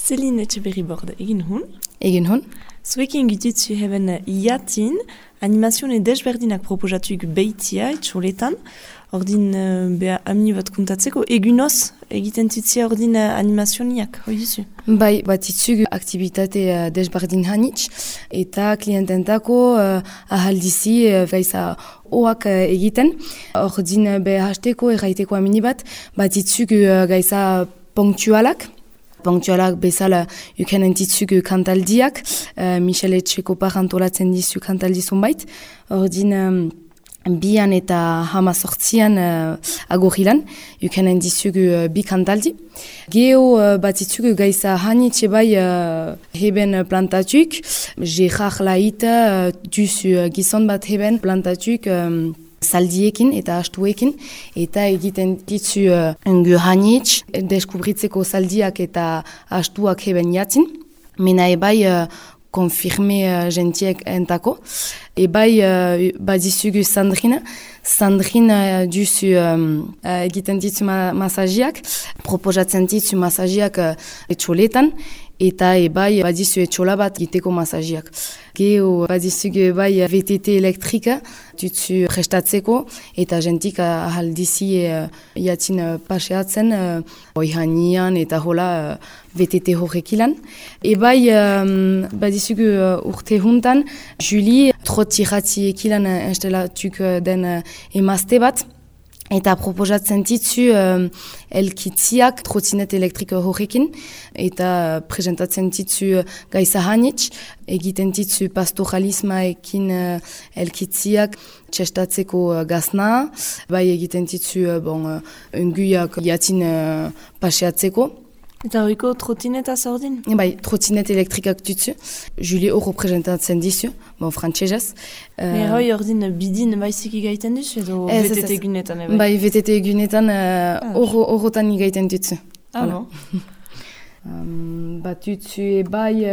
Céline Etxeberri-Borde, egin hun. Egin hun. Zuekin gitutzu heben iatin, animazione desberdinak proposatuik behitia, etxoletan. Ordin, beha amini bat kuntatzeko, egunoz egiten tutzia ordin animazioniak, hoi duzu? Bai, bat itzug aktivitate desberdin hanitz, eta kliententako ahaldizi gaiza oak egiten. Ordin, beha hasteko erraiteko amini bat itzug gaiza punktualak. Punktualak bezala uken entitzuk kantaldiak, Michel Etxekopar antolatzen dizu kantaldi zonbait. Ordin, bian eta hamazortzian agorilan, uken entitzuk bi kantaldi. Geo bat itzuk gaiza hanitxe bai heben plantatuk, Gerard Laita duzu gizon bat heben plantatuk, zaldiekin eta astuekin, eta egiten ditzu engu hanitz, deskubritzeko zaldiak eta astuak heben jatzin. Mena ebai konfirme gentiek entako. Ebai badizugu Sandrina. Sandrina duzu egiten ditzu masajiak, proposatzen ditzu masajiak etxoletan, eta ebai badizu etxola bat egiteko masajiak. Geo badizugu ebai VTT elektrika dutzu prestatzeko, eta gentik ahaldizi jatzin paseatzen oihanian eta hola VTT horrekilan. Ebai badizugu urte juntan, Julie trottirati ekilan instalatuk den emazte bat, eta proposatzen ditzu elkitziak trottinet elektriko horrekin, eta presentatzen ditzu gaiza hanitz, egiten ditzu pastoralismaekin elkitziak txestatzeko gazna, bai egiten ditzu unguiak jatzin paseatzeko. Eta horiko trottineta zordin? Bai, trottinet elektrikak dutzu. Julie hor representatzen dizu, frantsesez. Hoi ordin bidin baizik igaiten duzu edo VTT egunetan? Bai, VTT egunetan horrotan igaiten dutzu. No? Bat dutzu bai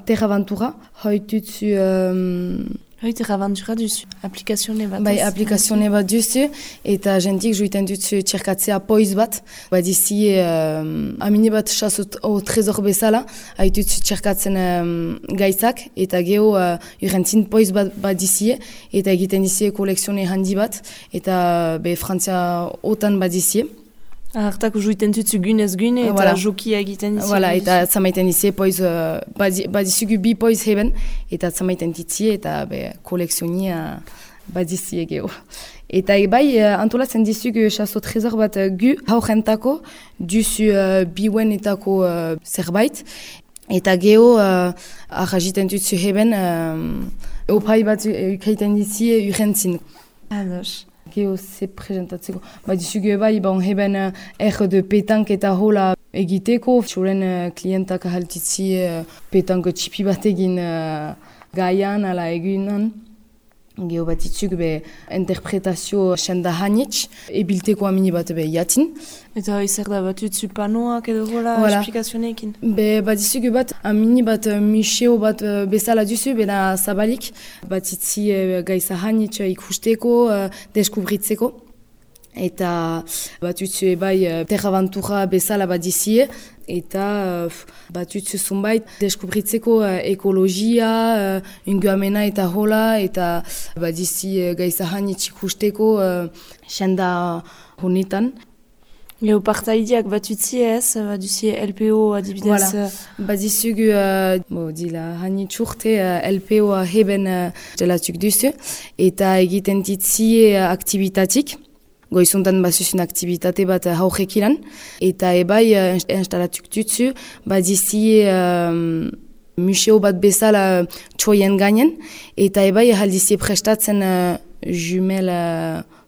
Terraventura, hoi dutzu... Hoi Terraventura duzu, aplikazione bat. Bai, aplikazione bat duzu, eta jentik joiten dutzu txerkatzea poiz bat. Badizi amine bat chasot trezor bezala, haitutzu txerkatzen gaizak, eta geho urrentzin poiz bat badizi, eta egiten dizi kolekzione handi bat, eta Frantzia otan badizi. Hartako joiten dutzu gunez gune eta jokia egiten dizi. Eta zamaiten dizi poiz, badizugu bi poiz heben, eta zamaiten dizi eta kolekzionia badizi geho. Eta bai antolatzen dizugu chaso trezor bat gu haurentako, duzu biwenetako zerbait, eta geho arrajiten dutzu heben, opai bat ukaiten dizi urrentzin. Ados. Geo ze presentatzeko. Badizugu bai, heben de petank eta hola egiteko. Txoren klientak ahaltitzi petank txipi bat egin gaian, ala egunan. Geo batitzuk interpretazio senda hanitz, ebilteko amini bat jatin. Eta izer da bat utzu panoak edo hola esplikazionekin? Badizugu bat amini bat museo bat bezala duzu, bena zabalik. Batitzi gaiza hanitz ikusteko, deskubritzeko. Eta bat utzu ebai Terraventura bezala badizie, eta bat utzu zunbait deskubritzeko ekologia, unguamena eta hola, eta badizi gaiza hanitz ikusteko senda honetan. Geo partaideak bat utzi ez, baduzie LPO adibidez? Badizugu dila hanitz urte LPO heben delatuk duzu, eta egiten ditzi aktivitatik. Goizuntan bazuzun aktivitate bat haurrekilan, eta ebai instalatuk dutzu, badizi museo bat bezala txoien gainen, eta ebai haldizi prestatzen jumel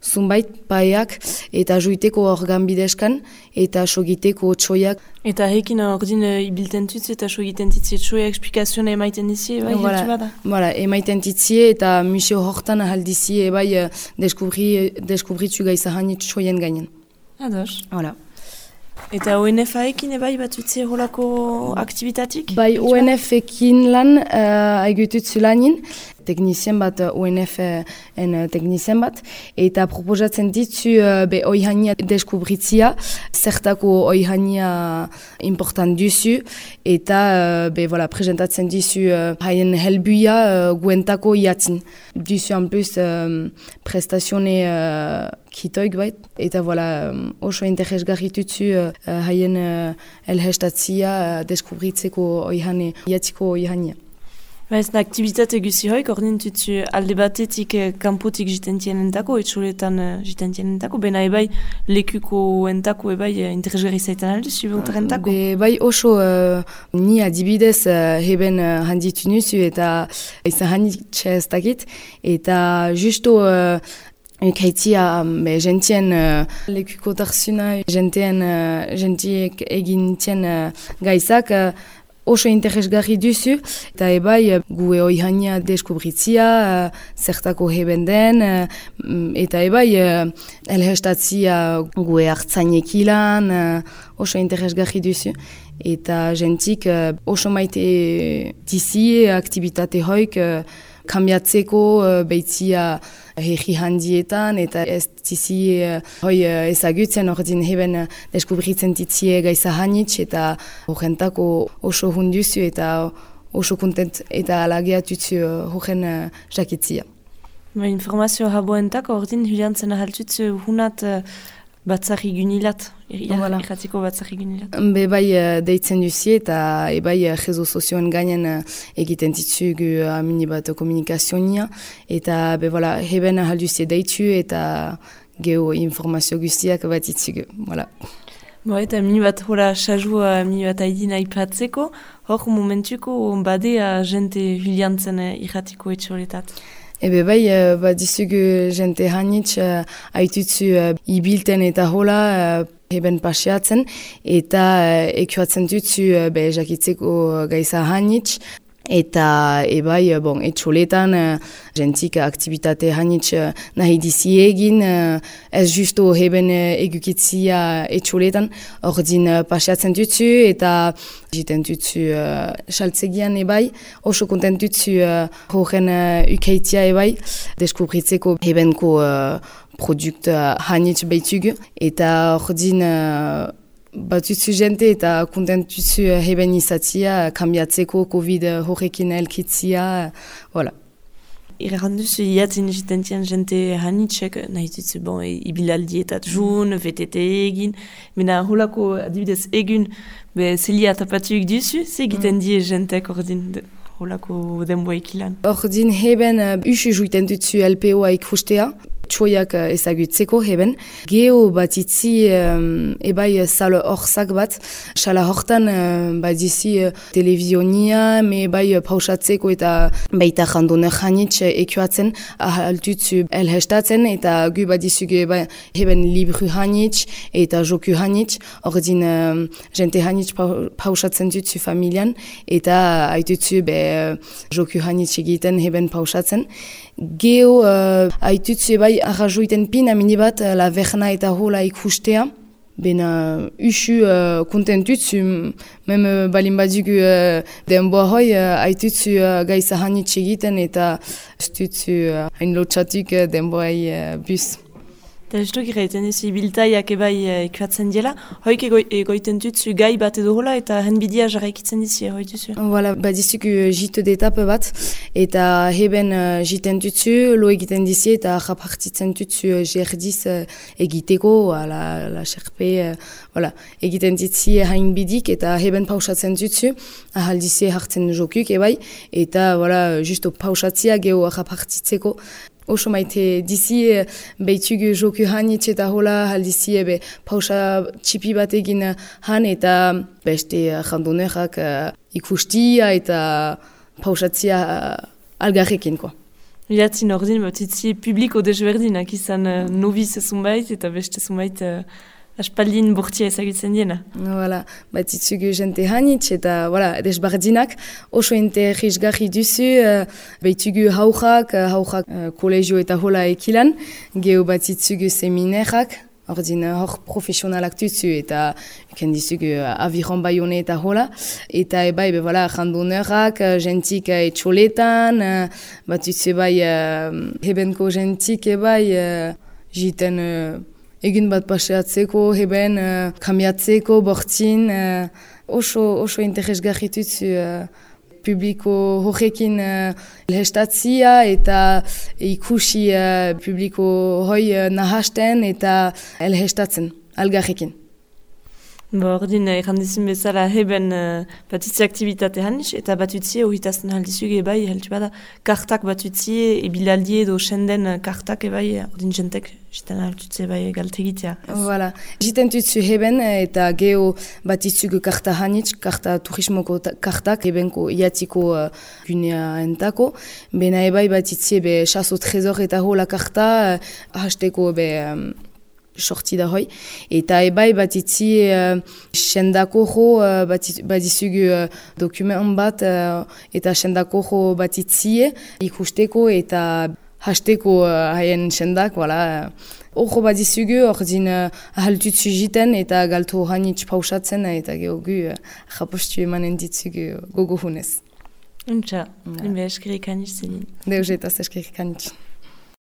zunbait paiak, eta joiteko organ bidezkan, eta sogiteko txoiak. Eta hekin ordin ibilten dutzu eta sogiten ditzi txoiak esplikazioa emaiten dizi, bai, hiltu bada? Emaiten ditzi eta museo hortan haldizi ebai deskubritzu gaiza hanit txoien gainen. Ados. Voilà. Eta ONF-ekin ebai bat utzi holako aktivitatik? Bai, ONF-ekin lan haigututzu lanin. teknizien bat, UNF-en teknizien bat, eta proposatzen ditzu oihania deskubritzia, zertako oihania important duzu, eta presentatzen dizu haien helbuia guentako iatzin. Duzu en plus prestazione kitoik bait, eta oso interesgarri tutzu haien elhestatzia deskubritzeko iatziko oihania. Ez da aktivitate guzi hoik, ordin tutzu alde batetik kanpotik jitentienentako, etxoletan jitentienentako, bena ebai lekuko entako ebai interesgarri zaitan aldu, zubeotarentako? Bai oso ni adibidez heben handitu nuzu eta izan handitxe ez dakit, eta justo ukaitia gentien lekuko tarzuna, gentiek egintien gaizak, oso interesgarri duzu, eta ebai gue oihania deskubritzia, zertako heben den, eta ebai elhestatzia gue hartzainek ilan, oso interesgarri duzu. Eta gentik oso maite dizi aktivitate hoik kambiatzeko beitzia herri handietan, eta ez dizi hoi ezagutzen ordin heben deskubritzen ditzie gaiza hanitz, eta horrentako oso hunduzu eta oso kontent eta alageatutzu horren jakitzia. Informazio haboentako ordin hilantzen ahaltutzu hunat batzarri gunilat, irratiko batzarri gunilat. Bai deitzen duzi eta ebai rezo sozioen gainen egiten ditzugu amini bat komunikazionia, eta heben ahalduzi deitu eta geho informazio guztiak bat ditzugu. Eta amini bat hola xaju amini bat haidin aipatzeko, hor momentuko badea jente hilantzen irratiko etxoletat. Bai, dizugu jente hanitz haitutzu ibilten eta hola heben pasiatzen, eta ekuatzen dutzu jakitzeko gaiza hanitz, eta ebai etxoletan jentik aktivitate hanitz nahi dizi egin, ez justo heben egukitzia etxoletan, ordin pasiatzen dutzu eta jiten dutzu saltzegian ebai, oso kontent dutzu horren ukaitia ebai, deskubritzeko hebenko produkt hanitz behitugu, eta ordin batutzu jente eta kontentutzu heben izatzia, kambiatzeko COVID horrekin elkitzia, Irranduzu iatzen jitentien jente hanitzek, nahi dutzu ibilaldieta jun, VTT egin, mena holako adibidez egun, zelia tapatuik duzu, ze egiten die jentek ordin holako denboa ikilan. Ordin heben usu juiten dutzu LPO-a ikustea, txoiak ezagutzeko heben. Geho bat itzi ebai sala horzak bat. Sala hortan dizi televizionia, me bai pausatzeko eta baita jandoner hanitz ekuatzen ahaltutzu elhestatzen, eta gu bat dizugu heben libru hanitz eta joku hanitz. Ordin jente hanitz pausatzen dutzu familian, eta haitutzu joku hanitz egiten heben pausatzen. Geho haitutzu bai arrazoiten pin amini bat la verna eta hola ikustea. Bena usu kontentutzu, mem balin badugu denboa hoi haitutzu gaiza hanitz egiten, eta stutzu hain lotxatuk denboai bus. Eta ez duk irraiten ez ibiltaiak ebai ekuatzen diela, hoik egoiten dutzu gai bat edo hola eta henbidia jarraikitzen dizi, hoi duzu? Dizugu jitu d'etape bat, eta heben jiten dutzu, lo egiten dizi eta japartitzen dutzu jerdiz egiteko, la xerpe, egiten dizi hain bidik, eta heben pausatzen dutzu, ahaldizi hartzen jokuk ebai, eta justo pausatzia geho japartitzeko. Oso maite dizi behitugu joku hanitz eta hola haldizi pausa txipi bat egin han, eta beste jandonerak ikustia eta pausatzia algarrekin. Ilatzin ordin bat itzi publiko desberdinak izan noviz zunbait eta beste zunbait aspaldin bortia ezagutzen diena. Bat itzugu jente hanitz eta desbardinak oso interesgarri duzu, behitugu haujak kolegio eta hola ekilan, geho bat itzugu seminerak, ordin hor profesionalak tutsu eta ken dizugu aviron baione eta hola. Eta ebai, voilà, randoneurak, gentik etxoletan, bat tutsu ebai hebenko gentik ebai, jiten egin bat paseatzeko, heben kamiatzeko, bortzin, oso interesgarri tutsu publiko horrekin elhestatzia eta ikusi publiko hoi nahasten eta elhestatzen, algarrekin. Ordin, errandizin bezala heben batutzi aktivitate hanniz, eta batutzi horritazten haldizuge ebai, heltu bada, kartak batutzi, ebilaldi edo senden kartak ebai, ordin jentek, jiten haltutzi ebai galtegitea. Voilà. Jiten tutzu heben eta geho batutzugu karta hanniz, karta turismoko kartak, hebenko iatiko gunea entako, bena ebai batutzi ebe chaso trezor eta hola karta, hasteko ebe sorti da hoi. Eta ebai batitzi sendako jo batizugu dokumen bat eta sendako jo batitzie ikusteko eta hasteko haien sendak, voilà. Horro batizugu ordin ahaltutzu jiten eta galtu hanitz pausatzen eta gehogu japostu emanen ditzugu gogo hunez. Untxa, inbe eskerik hanitz zelin. Deus eta eskerik hanitz.